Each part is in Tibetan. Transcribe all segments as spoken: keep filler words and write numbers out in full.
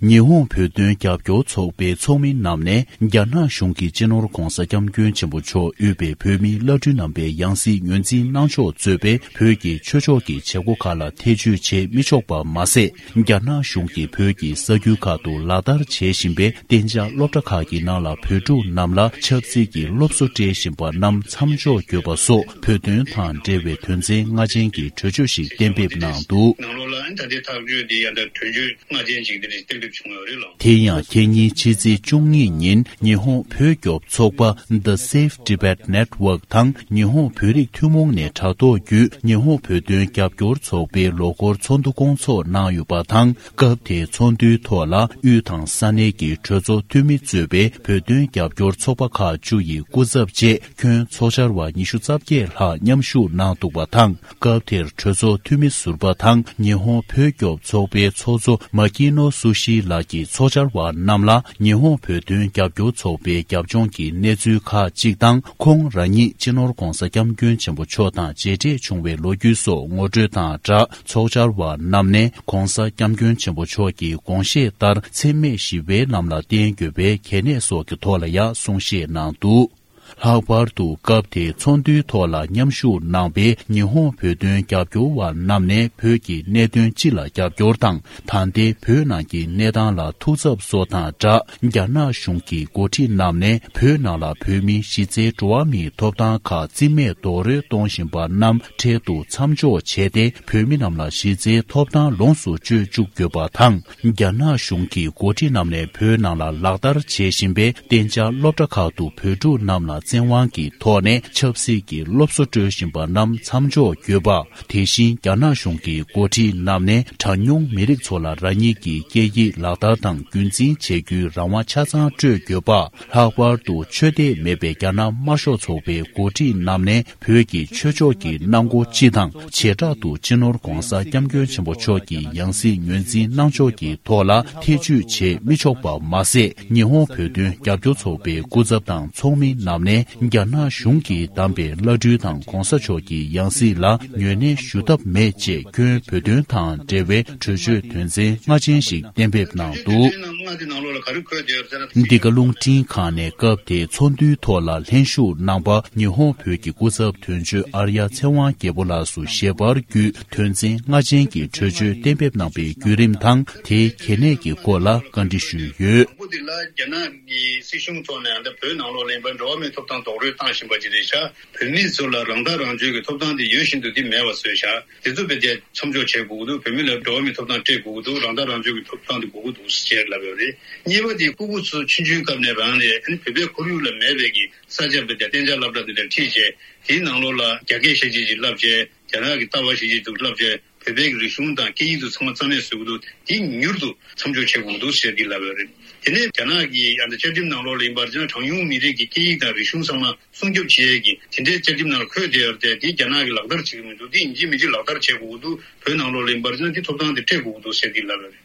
ཉི་ཧོང་བོད་དོན་རྒྱབ་སྐྱོར་ཚོགས་པའི་ཚོགས་མི་རྣམས་ནས། རྒྱ་ནག་གཞུང་གིས་སྤྱི་ནོར་༧གོང་ས་༧སྐྱབས་མགོན་ཆེན་པོ་མཆོག་དབུས་པའི་བོད་མིའི་བླ་སྤྲུལ་རྣམ་པའི་ཡང་སྲིད་ངོས་འཛིན་གནང་ཕྱོགས་གཙོས་པའི་བོད་ཀྱི་ཆོས་ཕྱོགས་ཀྱི་བྱེད་སྒོ་ཁག་ལ་ཐེ་བྱུས་བྱེད་མི་ཆོག་པ་མ་ཟད། རྒྱ་ནག་གཞུང་གིས་བོད་ཀྱི་ས་ཁུལ་ཁག་ཏུ་ལག་བསྟར་བྱེད་བཞིན་པའི་གཏན་འཇགས་སློབ་གྲྭ་ཁག་གི་ནང་ལ་བོད་ཕྲུག་རྣམས་ལ་ཆབ་སྲིད་ཀྱི་སློབ་གསོ་སྤྲད་བཞིན་པ་རྣམས་མཚམས་འཇོག་དགོས་པ་སོགས། བོད་དོན་དང་འབྲེལ་བའི་དོན་ཚན་ལྔ་ཅན་གྱི་གྲོས་ཆོད་ཞིག་གཏན་འབེབས་གནང་འདུག། ནང་ལོགས་ལ་ཨ་ནི་ད་ལྟའི་ཐག་གཅོད་འདི་ཡང་ད་གྲོས་ཆོད་ལྔ་ཅན་ཅིག་འདི་རེད་གཏན་འབེབས་བྱུང་ཡོད་རེད་ལགས། དེ་ཡང་ཁ་ཉིན་ཕྱི་ཚེས་བཅུ་གཉིས་ཉིན་ཉི་ཧོང་བོད་སྐྱོབ་ཚོགས་པ་The Save Tibet Network དང་ཉི་ཧོང་བོད་རིགས་ཐུན་མོང་ནས་དྲ་ཐོག་བརྒྱུད་ཉི་ཧོང་བོད་དོན་རྒྱབ་སྐྱོར་ཚོགས་པའི་ལོ་འཁོར་ཚོགས་འདུ་སྐོང་ཚོགས་གནང་ཡོད་པ་དང་། སྐབས་དེའི་ཚོགས་འདུའི་ཐོག་ལ་དབུས་དང་ས་གནས་ཀྱི་གྲོས་ཚོགས་འཐུས་མི་གཙོས་པའི་བོད་དོན་རྒྱབ་སྐྱོར་ཚོགས་པ་ཁག་བཅུ་ཡི་སྐུ་ཚབ་བཅས་ཁྱོན་ཚོགས་བཅར་བ་ཉི་ཤུ་རྩ་བརྒྱད་ལྷག་མཉམ་ཞུགས་གནང་འདུག་པ་དང་། སྐབས་དེར་གྲོས་ཚོགས་འཐུས་མི་ཟུར་པ་དང་ཉི་ཧོང་བོད་སྐྱོབ་ཚོགས་པའི་ཚོགས་གཙོ་མ་ཀི་ནོ་སུ་ཤི་ལགས་ཀྱིས་ཚོགས་བཅར་བ་རྣམས་ལ་ཉི་ཧོང་བོད་དོན་རྒྱབ་སྐྱོར་ཚོགས་པའི་རྒྱབ་ལྗོངས་ཀྱི་གནས་ཚུལ་ཁག་ཅིག་དང་། ཁོང་རང་ཉིད་སྤྱི་ནོར་༧གོང་ས་༧སྐྱབས་མགོན་ཆེན་པོ་མཆོག་དང་མཇལ་འཕྲད་བྱུང་བའི་ལོ་རྒྱུས་སོགས་ངོ་སྤྲོད་དང་སྦྲགས། ཚོགས་བཅར་བ་རྣམས་ནས་༧གོང་ས་༧སྐྱབས་མགོན་ཆེན་པོ་མཆོག་གི་དགོངས་བཞེད་ལྟར་འཚེ་མེད་ཞི་བའི་ལམ་ལ་བརྟེན་དགོས་པའི་གལ་གནད་སོགས་ཀྱི་ཐོག་ལ་ཡང་གསུང་བཤད་གནང་འདུག། ལྷག་པར་དུ་སྐབས་དེའི་ཚོགས་འདུའི་ཐོག་ལ་མཉམ་ཞུགས་གནང་པའི་ཉི་ཧོང་བོད་དོན་རྒྱབ་སྐྱོར་བ་རྣམས་ནས་བོད་ཀྱི་གནད་དོན་སྤྱི་ལ་རྒྱབ་སྐྱོར་དང་། ད་ལྟའི་བོད་ནང་གི་གནས་སྟངས་ལ་ཐུགས་འཚབ་སོགས་དང་སྦྲགས། རྒྱ་ནག་གཞུང་གི་འགོ་ཁྲིད་རྣམས་ནས་བོད་ནང་ལ་བོད་མིའི་གཞི་རྩའི་འགྲོ་བ་མིའི་ཐོབ་ཐང་ཁག་རྩིས་མེད་རྡོག་རོལ་གཏོང་བཞིན་པ་རྣམས་འཕྲལ་དུ་མཚམས་འཇོག་བྱས་ཏེ། བོད་མི་རྣམས་ལ་གཞི་རྩའི་ཐོབ་ཐང་ལོངས་སུ་སྤྱོད་བཅུག་དགོས་པ་དང་། རྒྱ་ནག་གཞུང་གི་འགོ་ཁྲིད་རྣམས་ནས་བོད་ནང་ལ་ལག་བསྟར་བྱེད་བཞིན་པའི་གཏན་འཇགས་སློབ་གྲྭ་ཁག་ཏུ་བོད་ཕྲུག་རྣམས་ལ་བཙན་དབང་གི་ཐོག་ནས་ཆབ་སྲིད་ཀྱི་སློབ་གསོ་སྤྲོད་བཞིན་པ་རྣམས་མཚམས་འཇོག་དགོས་པ། དེ་བཞིན་རྒྱ་ནག་གཞུང་གི་འགོ་ཁྲིད་རྣམས་ནས་གྲངས་ཉུང་མི་རིགས་ཚོ་ལ་རང་ཉིད་ཀྱི་སྐད་ཡིག་ལག་བསྟར་དང་རྒྱུན་འཛིན་བྱེད་རྒྱུའི་རང་དབང་ཆ་ཚང་སྤྲོད་དགོས་པ། ལྷག་པར་དུ་ཆོས་དད་མེད་པའི་རྒྱ་ནག་དམར་ཤོག་ཚོགས་པའི་འགོ་ཁྲིད་རྣམས་ནས་བོད་ཀྱི་ཆོས་ཕྱོགས་ཀྱི་གནང་སྒོ་སྤྱི་དང་བྱེ་བྲག་ཏུ་སྤྱི་ནོར་༧གོང་ས་༧སྐྱབས་མགོན་ཆེན་པོ་མཆོག་གི་ཡང་སྲིད་ངོས་འཛིན་གནང་ཕྱོགས་ཀྱི་ཐོག་ལ་ཐེ་བྱུས་བྱེད་མི་ཆོག་པ་མ་ཟད། ཉི་ཧོང་བོད་དོན་རྒྱབ་སྐྱོར་ཚོགས་པའི་སྐུ་ཚབ་དང་ཚོགས་མི་རྣམས་ནས་རྒྱ་ནག་གཞུང་གིས་བདམས་པའི་བླ་སྤྲུལ་དང་༧གོང་ས་མཆོག་གི་ཡང་སྲིད་ལ་ངོས་ལེན་ཞུ་ཐབས་མེད་ཅེས་ཁྱོན་བོད་དོན་དང་འབྲེལ་བའི་གྲོས་ཆོད་དོན་ཚན་ལྔ་ཅན་ཞིག་གཏན་འབེབས་གནང་འདུག། ལྔ་དེ་ནང་ལོགས་ལ་ག་རེ་འཁོད་བསྡད་ཡོད་ཟེར་ན། འདི་ག་རླུང་འཕྲིན་ཁང་ནས་སྐབས་དེའི་ཚོགས་འདུའི་ཐོག་ལ་ལྷན་ཞུགས་གནང་པ་ཉི་ཧོང་བོད་ཀྱི་སྐུ་ཚབ་དོན་གཅོད་ཨར་ཡ་ཚེ་དབང་རྒྱལ་པོ་ལགས་སུ་ཞལ་པར་བརྒྱུད་དོན་ཚན་ལྔ་ཅན་གྱི་གྲོས་ཆོད་གཏན་འབེབས་གནང་པའི་བརྒྱུད་རིམ་དང་དེའི་གལ་གནད་ཀྱི་སྐོར་ལ་བཀའ་འདྲི་ཞུས་ཡོད། དང་པོ་དེ་ལ་རྒྱ་ནག་གི་སྲིད་གཞུང་ཐོག་ནས་ཨ་ནི་བོད་ནང་ལོགས་ལ་ཡིན་པ་འགྲོ་བ་མིའི་ཐོབ་ཐང་རྡོག་རོལ་བཏང་བཞིན་པ་ཅིག་རེད་ཤག། བོད་མི་ཚོ་ལ་རང་ཐག་རང་གཅོད་ཀྱི་ཐོབ་ཐང་དེ་ཡོད་བཞིན་དུ་དེ་མེད་པ་བཟོས་ཤག། དེ་ཚོ་བས་ཏེ་མཚམས་འཇོག་བྱེད་དགོས་ཀྱི་འདུག། བོད་མི་ལ་འགྲོ་བ་མིའི་ཐོབ་ཐང་སྤྲད་དགོས་ཀྱི་འདུག། རང་ཐག་རང་གཅོད་ཀྱི་ཐོབ་ཐང་དེ་དགོས་ཀྱི་འདུག་ཟེར་ལབ་ཡོད་རེད། གཉིས་པ་དེ་སྤུ་གུ་ཚོ་ཆུང་ཆུང་སྐབས་ནས་རང་རེད། ཨ་ནི་བོད་པའི་ཁོར་ཡུག་ལ་མེད་པའི་གི་ས་ཆ་བས་ཏེ་གཏན་འཇགས་སློབ་གྲྭ་དེ་འདྲ་ཁྲིད་བྱས། དེའི་ནང་ལོགས་ལ་རྒྱ་སྐད་ཤེས་བྱེད་ཅིག་བསླབ་བྱས། རྒྱ་ནག་གི་ལྟ་བ་ཤེས་བྱེད་དུ་བསླབ་བྱས། བོད་པའི་གི་རིག་གཞུང་དང་སྐད་ཡིག་དེ་ཚང་མ་རྩ་མེད་བཟོ་གི་འདུག། དེ་མྱུར་དུ་མཚམས་འཇོག་བྱེད་དགོས་ཀྱི་འདུག་ཟེར་གྱི་ལབ་ཡོད་རེད། དེ་ནས་རྒྱ་ནག་གི་ཡང་ན་བཅའ་ཁྲིམས་ནང་ལོགས་ལ་ཡིན་པར་བྱས་ན་གྲངས་ཉུང་མི་རིགས་ཀྱི་སྐད་ཡིག་དང་རིག་གཞུང་ཚང་མ་སྲུང་སྐྱོབ་བྱེད་ཡས་ཀྱི་དེ་འདྲའི་བཅའ་ཁྲིམས་ནང་ལ་འཁོད་བསྡད་ཡོད་རེད་དེ། དེ་རྒྱ་ནག་གིས་ལག་བསྟར་བྱེད་ཀྱི་མི་འདུག། དེ་ཡིན་གཅིག་མིན་གཅིག་ལག་བསྟར་བྱེད་དགོས་ཀྱི་འདུག། བོད་ནང་ལོགས་ལ་ཡིན་པར་བྱས་ན་དེ་ཐོབ་ཐང་དེ་སྤྲད་དགོས་ཀྱི་འདུག་ཟེར་གྱི་ལབ་ཡོད་རེད།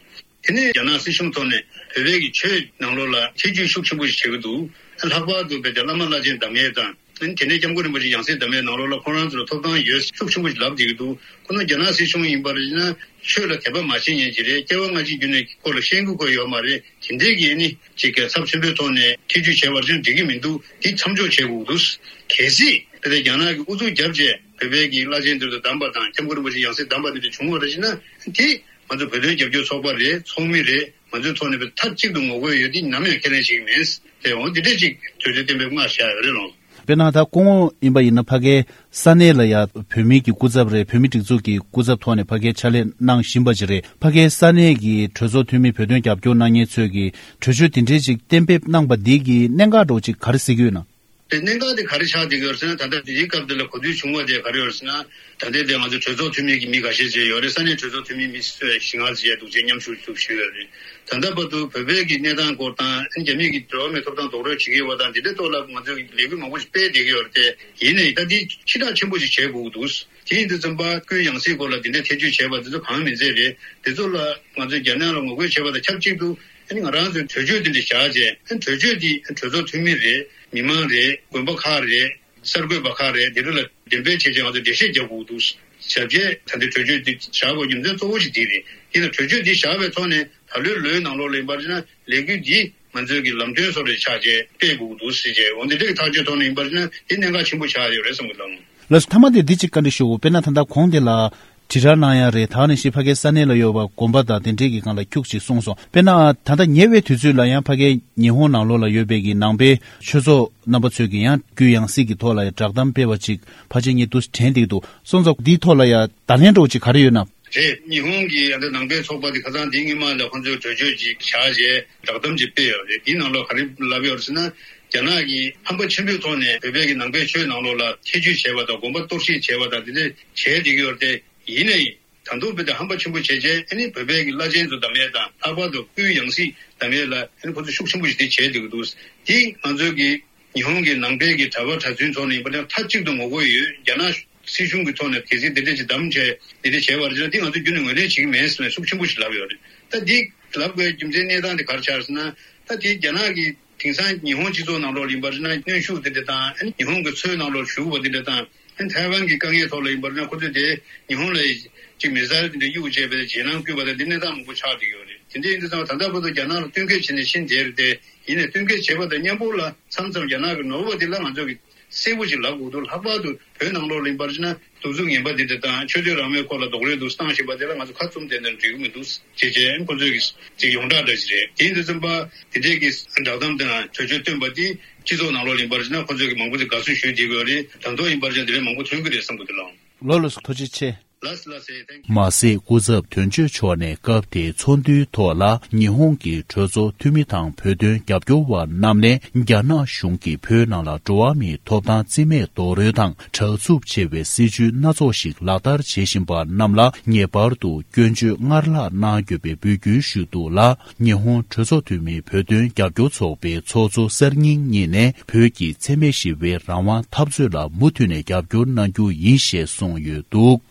དེ་ནས་རྒྱ་ནག་སྲིད་གཞུང་ཐོག་ནས་བོད་པའི་གི་ཆོས་ནང་ལོགས་ལ་ཐེ་བྱུས་ཤུགས་ཆེན་པོ་ཞིག་བྱེད་ཀྱི་འདུག། ལྷག་པར་དུ་བོད་ཀྱི་བླ་མ་བླ་ཆེན་གདམས་ངག་དང་། དེ་ནས་སྐྱབས་མགོན་རིན་པོ་ཆེ་ཡང་སྲིད་གདམས་ངག་ནང་ལོགས་ལ་ཁོང་རང་ཚོ་ལ་ཐོབ་ཐང་ཡོད་ཤུགས་ཆེན་པོ་ཞིག་ལབ་བསྡད་ཀྱི་འདུག། ཁོ་ན་རྒྱ་ནག་སྲིད་གཞུང་ཡིན་པར་ཡིན་ན་ཆོས་ལ་དད་པ་མ་བྱེད་མཁན་ཅིག་རེད། སྐྱེ་བ་སྔ་ཕྱི་རྒྱུད་ནས་སྐོར་ལ་ཤེས་ཀྱི་ཁོ་ཡོད་མ་རེད། དེ་འདྲས་ཀྱི་ནི་ཅིག་གི་ཚབས་ཆེན་པོའི་ཐོག་ནས་ཐེ་བྱུས་བྱས་པར་ཅང་འགྲིག་གི་མི་འདུག། དེ་མཚམས་འཇོག་བྱེད་དགོས་ཀྱི་འདུག། གལ་སྲིད་དེ་ལས་རྒྱ་ནག་གིས་ཨུ་ཚུགས་བརྒྱབ་བྱས་བོད་པའི་གི་བླ་ཆེན་དེ་ཚོ་བདམས་པ་དང་སྐྱབས་མགོན་རིན་པོ་ཆེ་ཡང་སྲིད་བདམས་པ་དེ་འདྲ་བྱུང་བ་རེད་ཅེ་ན། དེ་ང་ཚོ་བོད་དོན་རྒྱབ་སྐྱོར་ཚོགས་པ་རེད། ཚོགས་མི་རེད། ང་ཚོའི་ཐོག་ནས་མཐའ་གཅིག་ཏུ་ངོ་རྒོལ་ཡོད། དེ་ནམ་ཡང་ཁས་ལེན་བྱེད་ཀྱི་མེད། དེ་འོང་འདི་འདྲས་ཅིག་གྲོས་ཆོད་གཏན་འབེབས་སྔར་བཞག་ཡོད་རེད་ལོ། དཔེར་ན་ད་སྐུ་ངོ་ཡིན་པ་ཡིན་ན་ཕ་གའི་ས་གནས་ལ་ཡ་བོད་མིའི་གི་སྐུ་ཚབ་རེད། བོད་མིའི་སྒྲིག་འཛུགས་ཀྱི་སྐུ་ཚབ་ཐོག་ནས་ཕ་གའི་ཕྱག་ལས་གནང་བཞིན་པ་ཅིག་རེད། ཕ་གའི་ས་གནས་ཀྱི་གྲོས་ཚོགས་འཐུས་མི་བོད་དོན་རྒྱབ་སྐྱོར་གནང་མཁན་ཚོས་ཀྱི་གྲོས་ཆོད་དེ་འདྲས་ཅིག་གཏན་འབེབས་གནང་པ་འདི་གི་གནད་འགག་འདྲ་བོ་ཅིག་ག་རེ་གཟིགས་ཀྱི་ཡོད་ན། དེ་གནད་འགག་དེ་ག་རེ་ཆགས་བསྡད་ཀྱི་ཡོད་ཟེར་ན། ད་ལྟ་དེའི་སྐབས་དེ་ལ་གོ་ཐོས་བྱུང་བ་དེ་ག་རེ་ཡོད་ཟེར་ན། ད་ལྟའི་དེ་ང་ཚོ་གྲོས་ཚོགས་འཐུས་མི་གི་མི་འགའ་ཤས་བྱས་ཡོད་རེད། ས་གནས་གྲོས་ཚོགས་འཐུས་མི་མི་སུ་ཞིག་ང་ཚོ་བྱས་འདུག་ཅེས་མཉམ་ཞུགས་ཞུགས་ཞུས་ཡོད་རེད། ད་ལྟ་བར་དུ་བོད་པའི་གི་གནས་སྟངས་སྐོར་དང་རྒྱ་མི་གི་འགྲོ་བ་མིའི་ཐོབ་ཐང་རྡོག་རོལ་བྱེད་ཀྱི་ཡོད་པ་དང་དེ་འདྲའི་ཐོག་ལ་ང་ཚོས་ལས་འགུལ་མང་པོ་ཞིག་སྤེལ་བསྡད་ཀྱི་ཡོད་རེད་དེ། ཡིན་ནའི་ད་འདི་ཕྱིར་བསྒྲགས་ཆེན་པོ་ཞིག་བྱེད་དགོས་ཀྱི་འདུག། དེ་ཡིན་དུས་ཙམ་པ་སྐུའི་ཡང་སྲིད་སྐོར་ལ་དེ་འདྲའི་ཐེ་བྱུས་བྱས་པ་དེ་ཚོ་གང་མིན་ཚད་རེད། དེ་ཚོ་ལ་ང་ཚོས་རྒྱ་ནག་ལ་ངོ་རྒོལ་བྱས་པ་དང་ཆབས་ཅིག་ཏུ་ཨ་ནི་ང་རང་ཚོས་གྲོས་ཆོད་དེ་འདྲ་བཞག་བྱས། ཨ་ནི་གྲོས་ཆོད་དེ་གྲོས་ཚོགས་འཐུས་མི་རེད། མི་མང་རེད། དགོན་པ་ཁག་རེད། གསར་འགོད་པ་ཁག་རེད། དེ་ཚོ་ལ་འགྲེམས་སྤེལ་བྱས་བྱས་ང་ཚོས་འགྲེལ་བཤད་རྒྱག་དགོས་འདུག་ཟེར་བྱས། ད་ལྟའི་གྲོས་ཆོད་འདི་བཞག་དགོས་རྒྱུ་མཚན་གཙོ་བོ་ཞིག་འདི་རེད། ཡིན་ན་གྲོས་ཆོད་འདི་བཞག་པའི་ཐོག་ནས་ ད་ལོའི་ལོའི་ནང་ལོགས་ལ་ཡིན་པར་བྱས་ན་ལས་འགུལ་འདི་ང་ཚོའི་གི་ལམ་སྟོན་བཟོ་འདྲ་ཆགས་བྱས་སྤེལ་དགོས་ཀྱི་འདུག་ཟེར་བྱས། འོ་འདི་འདྲའི་ཐག་གཅོད་ཐོག་ནས་ཡིན་པར་བྱས་ན་དེ་གནད་འགག་ཆེན་པོ་ཆགས་ཡོད་རེད་བསམ་གྱི་འདུག། ལགས་སོ། མཐའ་མ་དེ་འདི་གཅིག་བཀའ་འདྲི་ཞུ། དཔེར་ན་ད་ལྟ་གོང་དེ་ལ་དྲིལ་བསྒྲགས་གནང་ཡ་རེད། ད་ནི་ཕ་གིའི་ས་གནས་ལ་ཡོད་པ་དགོན་པ་དང་དེ་འདྲའི་གི་སྒང་ལ་ཁྱུག་ཅིག་གསུངས་སོང་། དཔེར་ན་ད་ལྟ་ཉེ་བའི་དུས་ཚོད་ལ་ཡང་ཕ་གིའི་ཉི་ཧོང་ནང་ལོགས་ལ་ཡོད་པའི་གི་ནང་པའི་ཆོས་ཚོགས་རྣམ་པ་ཚོས་ཀྱི་ཡང་རྒྱུ་ཡང་སྲིད་ཀྱི་ཐོག་ལ་ཡང་བསྒྲགས་གཏམ་སྤེལ་བ་ཅིག་ཕལ་ཆེར་ངས་འདུག་དྲན་བསྡད་ཀྱི་འདུག། སོང་ཙང་འདིའི་ཐོག་ལ་ཡང་བརྡ་ལན་འདྲ་བོ་ཅིག་ག་རེ་ཡོད་ན། རེད། ཉི་ཧོང་གི་ཨ་ནི་ནང་པའི་ཚོགས་པ་དེ་ཁ་སང་འདི་སྔོན་མ་ལ་ཁོང་ཚོས་གྲོས་ཆོད་ཅིག་བཞག་རྗེས་བསྒྲགས་གཏམ་ཅིག་སྤེལ་ཡོད་རེད། དེའི་ནང་ལོགས་ག་རེ་ལབ་ཡོད་རེད་ཟེར་ན། རྒྱ་ནག་གིས་ཧམ་པ་ཆེན་པོའི་ཐོག་ནས་བོད་པའི་གི་ནང་པའི་ཆོས་ནང་ལོགས་ལ་ཐེ་ཇུས་བྱས་པ་དང་དགོན་པ་གཏོར་བཤིག་བྱས་པ་དང་དེ་འདྲ་བྱས་བསྡད་ཀྱི་ཡོད་རེད་དེ། ཡིན་ནའི་ད་དུང་བོད་དེ་ཧམ་པ་ཆེན་པོ་བྱས་རྗེས་ཨ་ནི་བོད་པའི་གི་བླ་ཆེན་ཚོ་བདམས་ཡས་དང་ལྷག་པར་དུ་སྐུའི་ཡང་སྲིད་བདམས་ཡས་ལ་ཨ་ནི་ཁོ་ཚོ་ཤུགས་ཆེན་པོ་ཞིག་དེ་བྱས་བསྡད་ཀྱི་འདུག། དེ་ང་ཚོའི་གི་ཉི་ཧོང་གི་ནང་པའི་གི་གྲྭ་པ་གྲྭ་བཙུན་ཚོ་ནས་ཡིན་པ་ན་མཐའ་གཅིག་ཏུ་ངོ་རྒོལ་ཡོད། རྒྱ་ནག་སྲིད་གཞུང་གི་ཐོག་ནས་གལ་སྲིད་འདི་འདྲ་ཅིག་བདམས་བྱས་འདི་འདྲ་བྱས་པར་བྱས་ན་འདི་ང་ཚོ་རྒྱུན་ནས་ངོས་ལེན་བྱེད་ཀྱི་མེད་ཟེར་ནས་ཤུགས་ཆེན་པོ་ཞིག་ལབ་ཡོད་རེད། ད་འདི་ལབ་དགོས་རྒྱུ་མཚན་གནས་སྟངས་དེ་ག་རེ་ཆགས་ཟེར་ན། ད་དེ་རྒྱ་ནག་གི་དེང་སང་ཉི་ཧོང་སྤྱི་ཚོགས་ནང་ལོགས་ལ་ཡིན་པར་བྱས་ན་གནོན་ཤུགས་དེ་འདྲ་དང་ཨ་ནི་ཉི་ཧོང་གི་ཚོའི་ནང་ལོགས་ཞུགས་པ་དེ་འདྲ་དང་ཨ་ནི་ཐའེ་ཝན་གྱི་དཀའ་ངལ་ཐོག་ལ་ཡིན་པར་བྱས་ན་ཁོ་ཚོས་དེ་ཉི་ཧོང་ལ་ཅིག་མི་སེར་དེ་འདྲ་གཡུག་བྱས་པའི་རྗེས་གནང་བསྐུལ་བ་དང་འདི་གནས་སྟངས་མང་པོ་ཆགས་བསྡད་ཡོད་རེད། དེ་འདྲ་ཡིན་དུས་ཙང་ད་ལྟ་བར་དུ་རྒྱ་ནག་ལ་བསྟུན་མཁས་བྱས་ནས་ཕྱིན་བསྡད་རེད་དེ། ཡིན་ནའི་བསྟུན་མཁས་བྱས་པ་དང་མཉམ་པོ་ལ་མཚམས་མཚམས་རྒྱ་ནག་གི་ནོར་བ་དེ་ལ་ང་ཚོ་གི་གསལ་པོ་ཞིག་ལབ་དགོས་འདུག། ལྷག་པར་དུ་བོད་ནང་ལོགས་ལ་ཡིན་པར་བྱས་ན་གདུག་རྩུབ་ངན་པ་འདི་འདྲ་དང་ཆོས་དད་རང་མོས་སྐོར་ལ་རྡོག་རོལ་འདུག་བཏང་བཞིན་པ་དེ་ལ་ང་ཚོ་ཁ་བཙུམ་བསྡད་ན་འགྲིག་གི་མི་འདུག་ཅེས་བྱས་ཁོ་ཚོས་ཀྱི་ཅིག་ཡོངས་གྲགས་འདྲ་ཞིག་རེད། དེ་ཡིན་དུས་ཙམ་པ་དེ་འདྲས་ཀྱི་བསྒྲགས་གཏམ་དང་གྲོས་ཆོད་བཏོན་པ་དེ་སྤྱི་ཚོགས་ནང་ལོགས་ལ་ཡིན་པར་བྱས་ན་ཁོ་ཚོས་ཀྱི་མང་པོ་ཅིག་དགའ་བསུ་ཞུས་བསྡད་ཀྱི་ཡོད་རེད། ད་དུང་ཡིན་པར་བྱས་ན་དེ་འདྲས་མང་པོ་ཐོན་གྱི་རེད་བསམ་གྱི་འདུག་ལགས། ལགས་ལགས་སོ། ཐུགས་རྗེ་ཆེ། ལགས་ལགས་སེ། མ་ཟད་སྐུ་ཚབ་དོན་གཅོད་མཆོག་ནས་སྐབས་དེའི་ཚོགས་འདུའི་ཐོག་ལ་ཉི་ཧོང་གི་གྲོས་ཚོགས་འཐུས་མི་དང་བོད་དོན་རྒྱབ་སྐྱོར་བ་རྣམས་ནས་རྒྱ་ནག་གཞུང་གིས་བོད་ནང་ལ་འགྲོ་བ་མིའི་ཐོབ་ཐང་རྩིས་མེད་རྡོག་རོལ་དང་དྲག་རྩུབ་ཆེ་བའི་སྲིད་བྱུས་སྣ་ཚོགས་ཤིག་ལག་བསྟར་བྱེད་བཞིན་པ་རྣམས་ལ་ངེས་པར་དུ་སྐྱོན་བརྗོད་སྔར་ལྷག་གནང་དགོས་པའི་འབོད་སྐུལ་ཞུས་འདུག་ལ། ཉི་ཧོང་གྲོས་ཚོགས་འཐུས་མིའི་བོད་དོན་རྒྱབ་སྐྱོར་ཚོགས་པའི་ཚོགས་གཙོ་གསར་རྙིང་གཉིས་ནས་བོད་ཀྱི་འཚེ་མེད་ཞི་བའི་རང་དབང་འཐབ་རྩོད་ལ་མུ་མཐུད་ནས་རྒྱབ་སྐྱོར་གནང་རྒྱུ་ཡིན་ཞེས་གསུངས་ཡོད་འདུག།